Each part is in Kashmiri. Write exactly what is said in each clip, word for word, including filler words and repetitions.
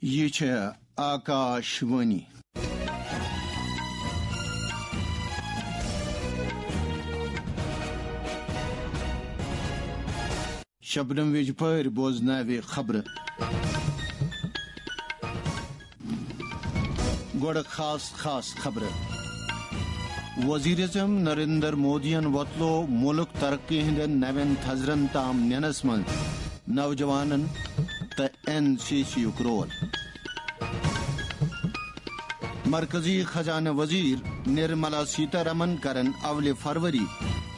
یہِ چھےٚ آکاش وانی۔ شبنم ویجپٲرۍ بوزناوِ خبرٕ۔ گۄڈٕ خاص خاص خبرٕ۔ وزیر اعظم نریندر مودیَن وۄتلوو مُلک ترقی ہٕنٛدٮ۪ن نوٮ۪ن تھزرن تام نِنَس منٛز نوجوانن تہٕ این سی سی یُک رول۔ مرکزی خزانہٕ وزیر نرملا سیتارمن کرن اولِ فروری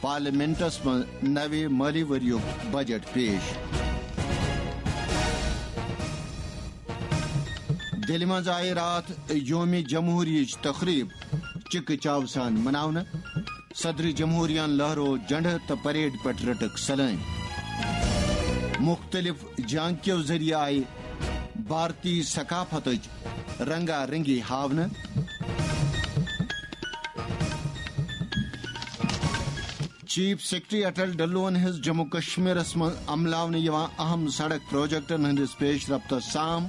پارلیمنٹس منٛز نوِ مٲلی ؤریُک بجٹ پیش۔ دِلہِ منٛز آیہِ راتھ یومِ جمہوریہٕچ تقریب چِکہٕ چاو سان مناونہٕ۔ صدر جمہوریہن لہرو جنڈٕ تہٕ پریڈ پٮ۪ٹھ رٔٹٕکھ سلٲمۍ۔ مُختٔلِف جھانکیو ذٔریعہٕ آیہِ بھارتی ثقافتٕچ رنگا رنگی ہاونہٕ۔ چیف سیکرٹری اٹل ڈلون ہٕنٛز جموں کشمیرس منٛز عملاونہٕ یِوان اہم سڑک پروجیکٹن ہٕنٛدِس پیش رفتس سام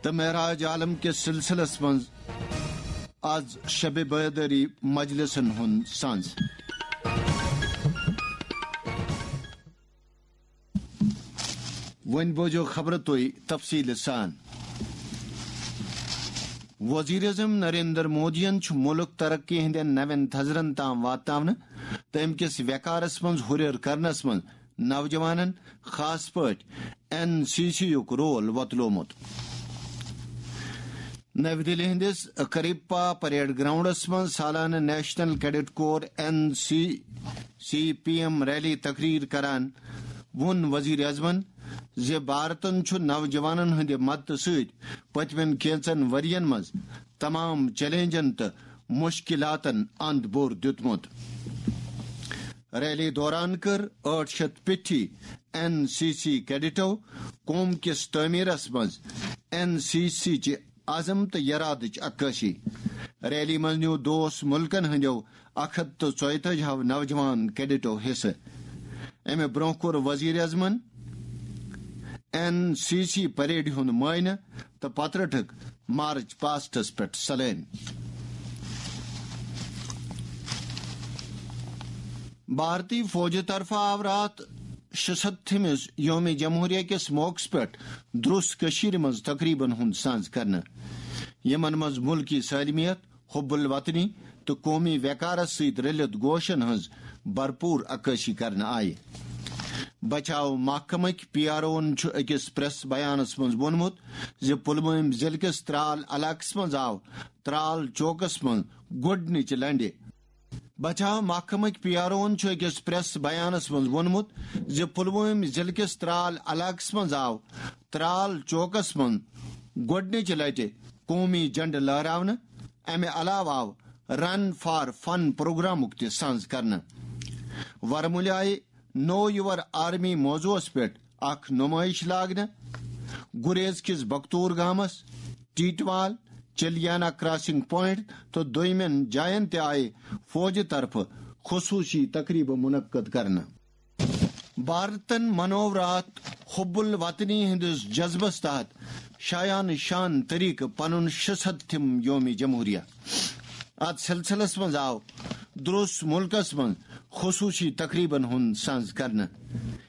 تہٕ معراج عالم کِس سلسلس منٛز از شب بیدٲری مجلسن ہُنٛد سنز۔ وۄنۍ بوزو خبرٕ تُہۍ تفصیٖلہٕ سان۔ وزیر اعظم نریندر مودیَن چھُ مُلک ترقی ہٕنٛدٮ۪ن نوٮ۪ن تھزرن تام واتناونہٕ تہٕ اَمہِ کِس وقارس منٛز ہُرٮ۪ر کرنس منٛز نوجوانن، خاص پٲٹھۍ این سی سی یُک رول وۄتلومُت۔ نَوِ دِلہِ ہٕنٛدِس کریپا پریڈ گراؤنڈس منٛز سالانہٕ national cadet corps, N C C, P M rally تقریر کران ووٚن وزیر اعظمن زِ بھارتن چھُ نوجوانن ہٕنٛدِ مدتہٕ سۭتۍ پٔتمٮ۪ن کینژن ؤرین منٛز تمام چیلنجن تہٕ مشکلاتن اند بور دیُتمُت۔ ریلی دوران کٔر ٲٹھ شیٚتھ پیٹھی این سی سی کیڈٹو قوم کِس تعمیرس منٛز این سی سی چہِ عزم تہٕ یرادٕچ عکٲسی۔ ریلی منٛز نیوٗ دوس مُلکن ہٕنٛدیو اکھ ہتھ تہٕ ژۄیتٲجی ہو نوجوان کیڈٹو حصہٕ۔ امہِ برونٛہہ کوٚر وزیر اعظمن این سی سی پریڈ ہُنٛد معائنہٕ تہٕ پتہٕ رٔٹٕکھ مارچ پاسٹس پٮ۪ٹھ سلٲمۍ۔ بھارتی فوجہِ طرفہٕ آو راتھ شُستتھمِس یوم جمہوریہ کِس موقعس پٮ۪ٹھ درٛس کٔشیٖرِ منٛز تقریبن ہُنٛد سنز کرنہٕ، یِمن منٛز مُلکی سالمیت، حب الوطنی تہٕ قومی وقارس سۭتۍ رٔلِتھ گوشن ہٕنٛز بھرپور عکٲسی کرنہٕ آیہِ۔ بچاو محکمٕکۍ پی آر اوَن چھُ أکِس پریس بیانس منٛز ووٚنمُت زِ پلوٲمۍ ضلعہٕ کِس ترال علاقس منٛز آو ترال چوکس منٛز گۄڈٕنِچہِ لنڈِ بچاو محکمٕکۍ پی آر اوَن چھُ أکِس پریس بیانس منٛز ووٚنمُت زِ پلوٲمۍ ضلعہٕ کِس ترال علاقس منٛز آو ترال چوکس منٛز گۄڈٕنِچہِ لٹہِ قومی جنڈٕ لہراونہٕ۔ امہِ علاوٕ آو رن فار فن پروگرامُک تہِ سنز کرنہٕ۔ ورمُلہِ آیہِ نو یور آرمی موضوعس پٮ۪ٹھ اکھ نمٲیش لاگنہٕ۔ گریز کِس بختور گامس، ٹیٹوال، چلیانا کراسنگ پوائنٹ تہٕ دویمٮ۪ن جاین تہِ آیہِ فوجہِ طرفہٕ خصوصی تقریبہٕ منعقد کرنہٕ۔ بھارتن منوو راتھ حب الوطنی ہٕنٛدِس جذبس تحت شایان شان طریقہٕ پنُن شُستتھم یوم جمہوریہ۔ اتھ سلسلس منٛز آو درٛس مُلکس منٛز خصوصی تقریبن ہُنٛد سنز کرنہٕ،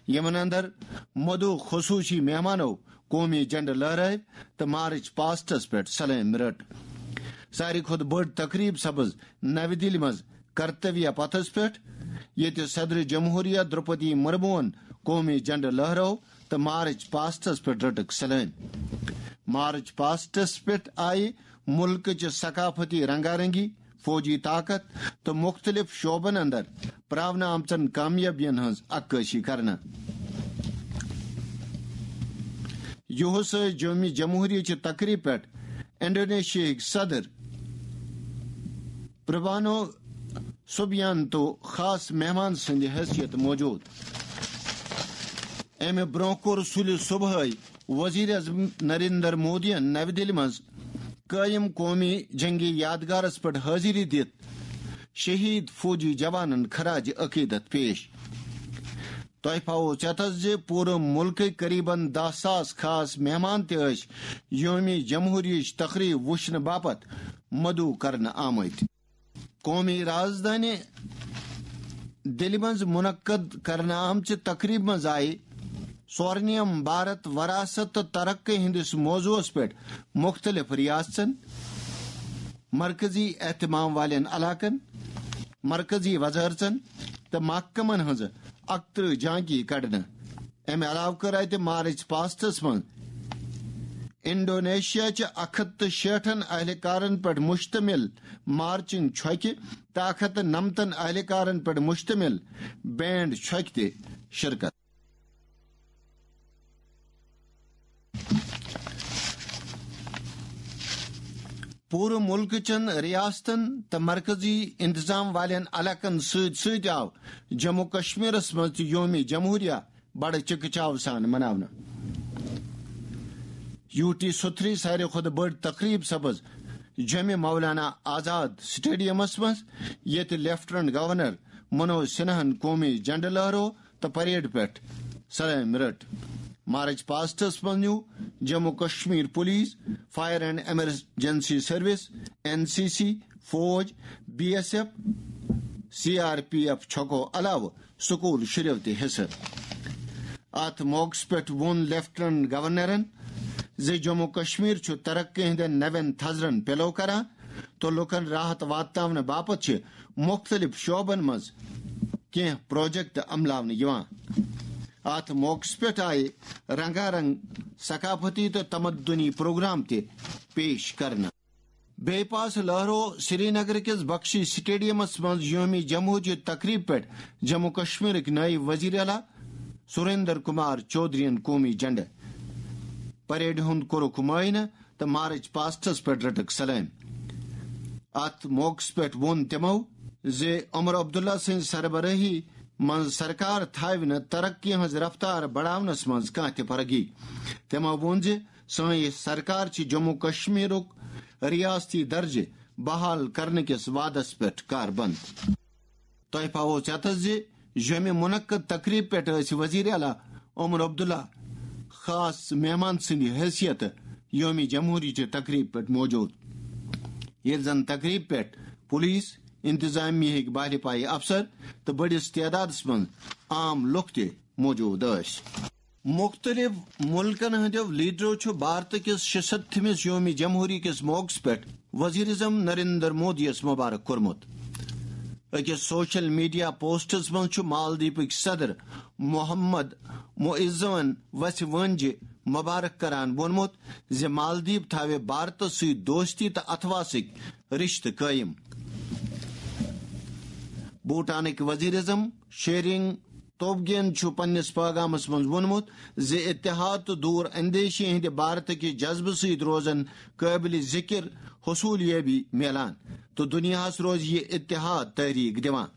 یِمن اندر مدعو خصوصی مہمانو قومی جنڈٕ لہرٲوۍ تہٕ مارچ پاسٹس پٮ۪ٹھ سلٲمۍ رٔٹ۔ ساروی کھۄتہٕ بٔڑ تقریب سپٕز نَوِ دِلہِ منٛز کرتویہ پتھس پٮ۪ٹھ، ییٚتہِ صدر جمہوریہ درٛوپدی مرموہن قومی جنڈٕ لہرٲو تہٕ مارچ پاسٹس پٮ۪ٹھ رٔٹٕکھ سلٲمۍ۔ مارچ پاسٹس پٮ۪ٹھ آیہِ مُلکٕچہِ ثقافتی رنگا رنگی، فوجی طاقت تہٕ مُختٔلِف شعبن اندر پراونہٕ آمژن کامیٲبین ہٕنٛز عکٲسی کرنہٕ۔ یُہُس ٲسۍ جومہِ جمہوریہ چہِ تقریب پٮ۪ٹھ انڈونیشیاہٕکۍ صدر پربانو سبیانتو خاص مہمان سٕنٛدِ حیثیت موجود۔ امہِ برونٛہہ کوٚر سُلہِ صبحٲے وزیر اعظم نریندر مودیَن نَوِ دِلہِ منٛز قٲیِم قومی جنگی یادگارس پٮ۪ٹھ حٲضری دِتھ شہید فوجی جوانن خراج عقیدت پیش۔ تۄہہِ پاوو ژٮ۪تس زِ پوٗرٕ مُلکٕکۍ قریباً دَہ ساس خاص مہمان تہِ ٲسۍ یومِ جمہوریہٕچ تقریب وٕچھنہٕ باپتھ مدعو کرنہٕ آمٕتۍ۔ قومی رازدانہِ دِلہِ منٛز منعقد کرنہٕ آمژِ تقریبہِ منٛز آیہِ سورنیم بھارت وراثت تہٕ ترقی ہٕنٛدِس موضوعس پٮ۪ٹھ مُختٔلِف ریاستن، مرکزی اہتمام والٮ۪ن علاقن، مرکزی وزارژن تہٕ محکمن ہٕنٛزٕ اَکترٕہ جھانکی کڑنہٕ۔ امہِ علاوٕ کٔر اتہِ مارچ پاسٹس منٛز انڈونیشیا چہِ اکھ ہتھ تہٕ شیٹھن اہلکارن پٮ۪ٹھ مشتمل مارچنگ چھۄکہِ تہٕ اکھ ہتھ تہٕ نمتن اہلکارن پٮ۪ٹھ مشتمل بینڈ چھۄکہِ تہِ شرکت۔ پوٗرٕ مُلکہٕ چٮ۪ن ریاستن تہٕ مرکزی انتظام والٮ۪ن علاقن سۭتۍ سۭتۍ آو جموں کشمیرس منٛز تہِ یومِ جمہوریہ بڑٕ چکہٕ چاو سان مناونہٕ۔ یو ٹی ستھری ساروی کھۄتہٕ بٔڑ تقریب سپٕز جمِ مولانا آزاد سٹیڈیمس منٛز، ییٚتہِ لیفٹیننٹ گورنر منوج سنہاہن قومی جھنڈٕ لہرو تہٕ پریڈ پٮ۪ٹھ سلام رٔٹ۔ مارچ پاسٹس منٛز نیوٗ Jammu Kashmir police, fire and emergency service, N C C, فوج، B S F, C R P F چھۄکو علاوٕ سکول شُرٮ۪و تہِ حصہٕ۔ اتھ موقعس پٮ۪ٹھ ووٚن لیفٹیننٹ گورنرن زِ جموں کشمیر چھُ ترقی ہٕنٛدٮ۪ن نوٮ۪ن تھزرن پِلو کران تہٕ لوٗکن راحت واتناونہٕ باپتھ چھِ مُختٔلِف شعبن منٛز کینٛہہ پروجیکٹ عملاونہٕ یِوان۔ اتھ موقعس پٮ۪ٹھ آیہِ رنگا رنگ ثقافتی تہٕ تمدنی پروگرام تہِ پیش کرنہٕ۔ بیٚیہِ پاس لہرو سرینگر کِس بخشی سٹیڈیمس منٛز یومِ جمہوریہ تقریب پٮ۪ٹھ جموں کشمیرٕکۍ نٲیِب وزیر اعلیٰ سریندر کمار چودھرین قومی جھنڈٕ۔ پریڈ ہُنٛد کوٚرُکھ معائنہٕ تہٕ مارچ پاسٹس پٮ۪ٹھ رٔٹٕکھ سلام۔ اتھ موقعس پٮ۪ٹھ ووٚن تِمو زِ عمر عبداللہ سٕنٛزِ سربرٲہی منٛز سرکار تھاوِ نہٕ ترقی ہٕنٛز رفتار بڑاونس منٛز کانٛہہ تہِ فرق۔ تِمو ووٚن زِ سٲنۍ سرکار چھِ جموں کشمیرُک ریاستی درجہٕ بحال کرنہٕ کِس وعدس پٮ۪ٹھ کاربند۔ تۄہہِ پاوو ژٮ۪تس زِ ییٚمہِ منعقد تقریب پٮ۪ٹھ ٲسۍ وزیر اعلیٰ عمر عبداللہ خاص مہمان سٕنٛدِ حیثیت یومِ جمہوریہ چہِ تقریب پٮ۪ٹھ موجود، ییٚلہِ زن تقریب پٮ۪ٹھ پولیس، انتظامیہ ہٕکۍ باہلہِ پایہِ افسر تہٕ بٔڑِس تعدادس منٛز عام لُکھ تہِ موجود ٲسۍ۔ مُختٔلِف مُلکن ہٕنٛدیو لیڈرو چھُ بھارت کِس شُستتھمِس یومِ جمہوریہ کِس موقعس پٮ۪ٹھ وزیر اعظم نریندر مودیَس مبارک کوٚرمُت۔ أکِس سوشل میڈیا پوسٹس منٛز چھُ مالدیپٕکۍ صدر محمد معزون وژھِ وٲنجہِ مبارک کران ووٚنمُت زِ مالدیپ تھاوِ بھارتس سۭتۍ دوستی تہٕ اتھواسٕکۍ رشتہٕ قٲیِم۔ بھوٹانٕکۍ وزیر اعظم شیرنگ توبگین چھُ پننِس پیغامس منٛز ووٚنمُت زِ اتحاد تہٕ دوٗر اندیشی ہٕنٛدِ بھارت کہِ جذبہٕ سۭتۍ روزن قٲبلِ ذکر حصولیابی میلان تہٕ دُنیاہس روزِ یہِ اتحاد تحریک دِوان۔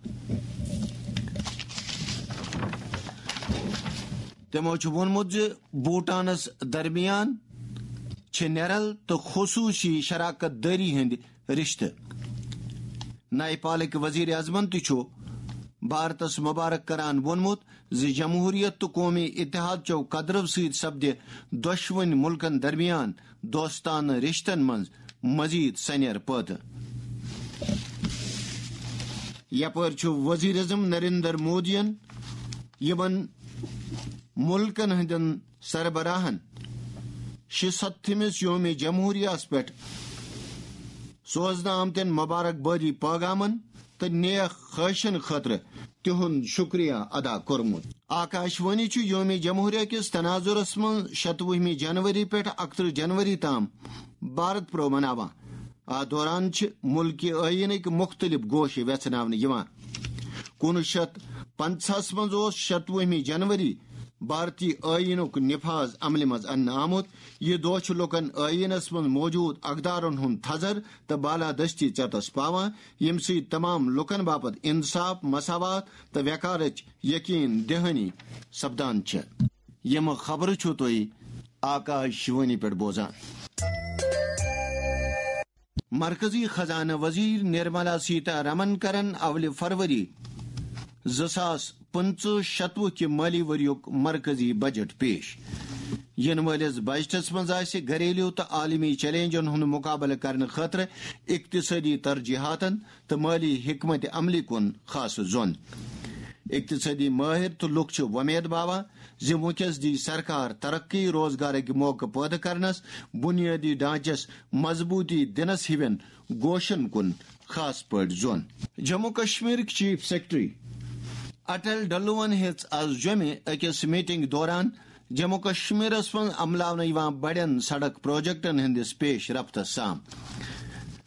تِمو چھُ ووٚنمُت زِ بھوٹانس درمیان چھِ نیرل تہٕ خصوٗصی شراکت دٲری ہٕنٛدۍ رشتہٕ۔ نیپالٕکۍ وزیر اعظمن تہِ چھُ بھارتس مبارک کران ووٚنمُت زِ جمہوریت تہٕ قومی اتحاد چٮ۪و قدرو سۭتۍ سپدِ دۄشوٕنۍ مُلکن درمیان دوستانہٕ رشتن منٛز مزید سنیر پٲدٕ۔ یپٲرۍ چھُ وزیر اعظم نریندر مودیَن یِمن مُلکن ہٕنٛدٮ۪ن سربراہن شُستتھمِس یومِ جمہوریہس پٮ۪ٹھ سوزنہٕ آمتٮ۪ن مبارکبٲدی پیغامن تہٕ نیک خواہشن خٲطرٕ تِہُنٛد شُکریہ ادا کوٚرمُت۔ آکاشوانی چھُ یومِ جمہوریہ کِس تناظرس منٛز شتوُہمہِ جنوری پٮ۪ٹھ اکترٕہ جنوری تام بھارت پرو مناوان۔ اتھ دوران چھِ مُلکہِ ٲییٖنٕکۍ مُختٔلِف گوشہٕ وٮ۪ژھناونہٕ یِوان۔ کُنوُہ شیٚتھ پنٛژاہس منٛز اوس شتوُہمہِ جنوری بھارتی ٲییٖنُک نفاذ عملہِ منٛز اننہٕ آمُت۔ یہِ دۄہ چھُ لوٗکن ٲییٖنس منٛز موجود اقدارن ہُنٛد تھزر تہٕ بالادستی ژٮ۪تس پاوان، ییٚمہِ سۭتۍ تمام لوٗکن باپتھ انصاف، مساوات تہٕ وقارٕچ یقین دہانی سپدان چھےٚ۔ یِم خبرٕ چھِو تُہۍ آکاش وانی پٮ۪ٹھ بوزان۔ مرکزی خزانہٕ وزیر نرملا سیتا رمن کرن اولہِ فروری زٕ ساس پٕنٛژٕہ شتوُہ کہِ مٲلی ؤریُک مرکزی بجٹ پیش۔ یِنہٕ وٲلِس بجٹس منٛز آسہِ گھریلو تہٕ عالمی چیلنجن ہُنٛد مقابلہٕ کرنہٕ خٲطرٕ اقتصٲدی ترجیحاتن تہٕ مٲلی حکمت عملی کُن خاص زون۔ اقتصٲدی مٲہِر تہٕ لوٗکھ چھِ وۄمید باوان زِ وٕنکیٚس دی سرکار ترقی، روزگارٕکۍ موقعہٕ پٲدٕ کرنس، بنیٲدی ڈھانچس مضبوٗطی دِنس ہِوٮ۪ن گوشن کُن خاص پٲٹھۍ زون۔ جموں کشمیرٕکۍ چیف سیکرٹری اٹل ڈلوَن ہیٚژ آز جوٚمہِ أکِس میٹنگ دوران جموں کشمیرس منٛز عملاونہٕ یِوان بڑٮ۪ن سڑک پروجیکٹن ہٕنٛدِس پیش رفتس سام۔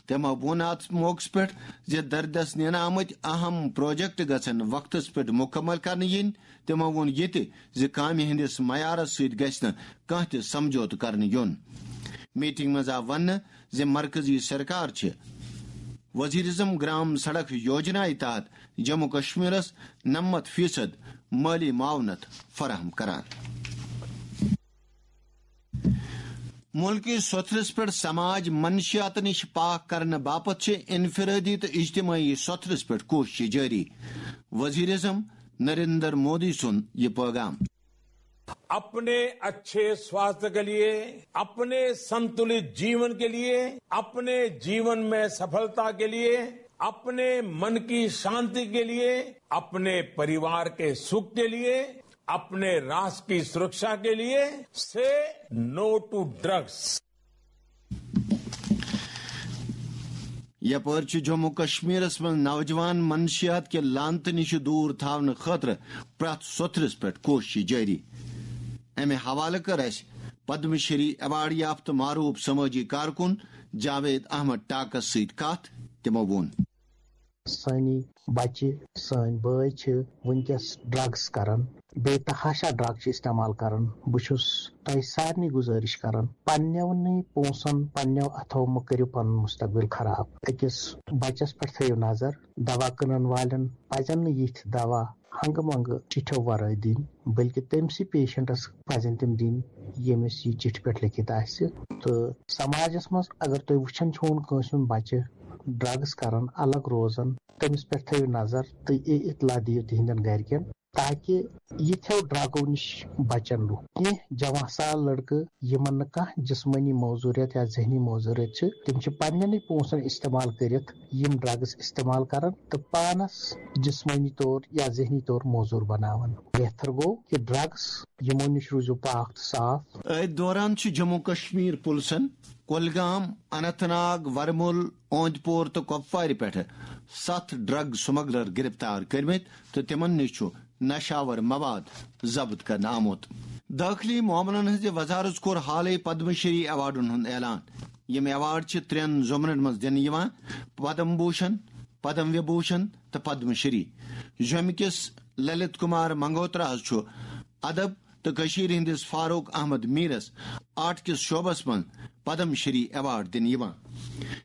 تٔمۍ ووٚن اتھ موقعس پٮ۪ٹھ زِ دردس نینہٕ آمٕتۍ اہم پروجیکٹ گژھن وقتس پٮ۪ٹھ مکمل کرنہٕ یِنۍ۔ تٔمۍ ووٚن یہِ تہِ زِ کامہِ ہٕنٛدِس معیارس سۭتۍ گژھِ نہٕ کانٛہہ تہِ سمجھوتہٕ کرنہٕ یُن۔ میٹنگ منٛز آو وننہٕ زِ مرکزی سرکار چھِ وزیر اعظم گرام سڑک یوجنا تحت جموں کشمیرس نَمَتھ فیصد مٲلی معاونت فراہم کران۔ ملکی سوٚتھرس پٮ۪ٹھ سماج منشیات نِش پاک کرنہٕ باپتھ چھِ انفرادی تہٕ اجتماعی سوٚتھرس پٮ۪ٹھ کوٗشش جٲری۔ وزیر اعظم نریندر مودی سُنٛد یہِ پٲغام۔ अपने अच्छे स्वास्थ्य के लिए, अपने संतुलित जीवन के लिए, अपने जीवन में सफलता के लिए, अपने मन की शांति के लिए, अपने परिवार के सुख के लिए, अपने राष्ट्र की सुरक्षा के लिए, say no to drugs। یپٲرۍ چھُ جموں کشمیرس منٛز نوجوان منشیات کہِ لعنتہٕ نِش دوٗر تھاونہٕ خٲطرٕ پرٛٮ۪تھ سوٚتھرِس پٮ۪ٹھ کوٗشش جٲری۔ امہِ حوالہٕ کٔر اسہِ پدم شری ایوارڈ یافتہٕ معروف سمٲجی کارکُن جاوید احمد ٹاکس سۭتۍ کتھ۔ تِمو ووٚن۔ سٲنی بچہِ، سٲنۍ بٲے چھِ وٕنکیٚس ڈرگس کران، بے تحاشا ڈرگ چھِ استعمال کران۔ بہٕ چھُس تۄہہِ سارنٕے گُزٲرِش کران، پننٮ۪ونٕے پونٛسن، پننٮ۪و اتھو مہٕ کٔرِو پنُن مستقبل خراب۔ أکِس بچس پٮ۪ٹھ تھٲیِو نظر، دوا کٕنن والٮ۪ن پزن نہٕ یِتھۍ دوا ہنگہٕ منگہٕ چِٹھیو ورٲے دِنۍ، بلکہِ تٔمۍ سٕے پیشنٹس پزن تِم دِنۍ، ییٚمِس یہِ چِٹھِ پٮ۪ٹھ لیکھِتھ آسہِ۔ تہٕ سماجس منٛز اگر تُہۍ وٕچھان چھِو کٲنٛسہِ ہُنٛد بچہِ ڈرگس کران، الگ روزان، تٔمِس پٮ۪ٹھ تھٲیِو نظر تہٕ یہِ اطلاع دِیِو تِہنٛدٮ۪ن گرِکٮ۪ن، تاکہِ یِتھیو ڈرگو نِش بچن لُکھ۔ کینٛہہ جوان سال لڑکہٕ یِمن نہٕ کانٛہہ جسمٲنی معذوریت یا ذہنی معذوریت چھِ، تِم چھِ پننٮ۪نٕے پونٛسن استعمال کٔرِتھ یِم ڈرگس استعمال کران تہٕ پانس جسمٲنی طور یا ذہنی طور معذور بناوان۔ بہتر گوٚو کہِ ڈرگس یِمو نِش روٗزِو پاک تہٕ صاف۔ أتھۍ دوران چھُ جموں کشمیر پُلسن کۄلگام، اننت ناگ، ورمُل، اوند پور تہٕ کۄپوارِ پٮ۪ٹھٕ ستھ ڈرگ سمگلر گرفتار کٔرمٕتۍ تہٕ تِمن نِش چھُ نشاور مواد ضبط کرنہٕ آمُت۔ دٲخلی معاملن ہٕنٛزِ وزارت کوٚر حالٕے پدم شری ایوارڈن ہُنٛد اعلان۔ یِم ایوارڈ چھِ ترٛٮ۪ن زمرن منٛز دِنہٕ یِوان، پدم بھوشن، پدم وبھوشن تہٕ پدم شری۔ جوٚمہِ کِس للت کمار منگوتراہس چھُ ادب تہٕ کٔشیٖرِ ہٕنٛدِس فاروق احمد میٖرس آرٹ کِس شعبس منٛز پدم شری ایوارڈ دِنہٕ یِوان۔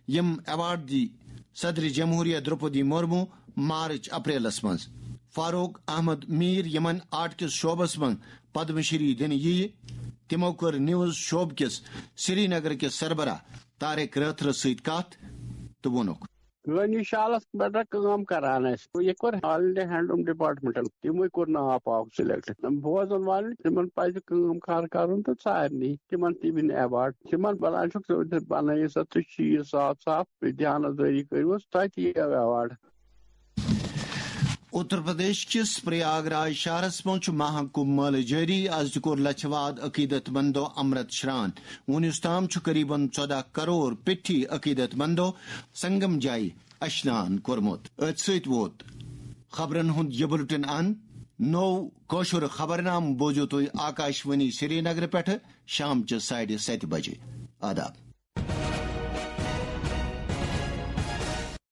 یِم ایوارڈ دی صدر جمہوریہ درٛوپدی مرمو مارچ اپریلس منٛز۔ فاروق احمد میٖر، یِمن آرٹ کِس شعبس منٛز پدم شری دِنہٕ یِیہِ، تِمو کٔر نیوز شعبہٕ کِس سری نگر کِس سربراہ طارق رٲتھرس سۭتۍ کتھ تہٕ ووٚنُکھ۔ گٲنی شالس پٮ۪ٹھ کٲم کران ٲسۍ، یہِ کوٚر آل انڈیا ہینڈلوم ڈپارٹمنٹن، تِموٕے کوٚر ناو پاک سلیکٹ۔ بوزن والٮ۪ن تِمن پزِ کٲم کار کرُن تہٕ سارنٕے تِمن تہِ مِلہِ ایوارڈ۔ تِمن بنان چھُکھ ژٕ بنٲیِو سا تُہۍ چیٖز صاف صاف، بیٚیہِ دیانت دٲری کٔرِوس، تۄہہِ تہِ یِیو ایوارڈ۔ اتر پردیش کِس پریاگ راج شہرس منٛز چھُ مہا کمبھ مٲلہٕ جٲری۔ از تہِ کوٚر لچھِ واد عقیدت مندو امرت شران۔ وُنیُس تام چھُ قریباً ژۄدہ کرور پیٹھی عقیدت مندو سنگم جایہِ اشنان کوٚرمُت۔ أتھۍ سۭتۍ ووت خبرن ہُنٛد یہِ بُلٹن اند۔ نوٚو کٲشُر خبرنامہٕ بوزِو تُہۍ آکاشوانی سری نگرٕ پٮ۪ٹھٕ شامچہِ ساڑِ ستہِ بجہِ۔ آداب۔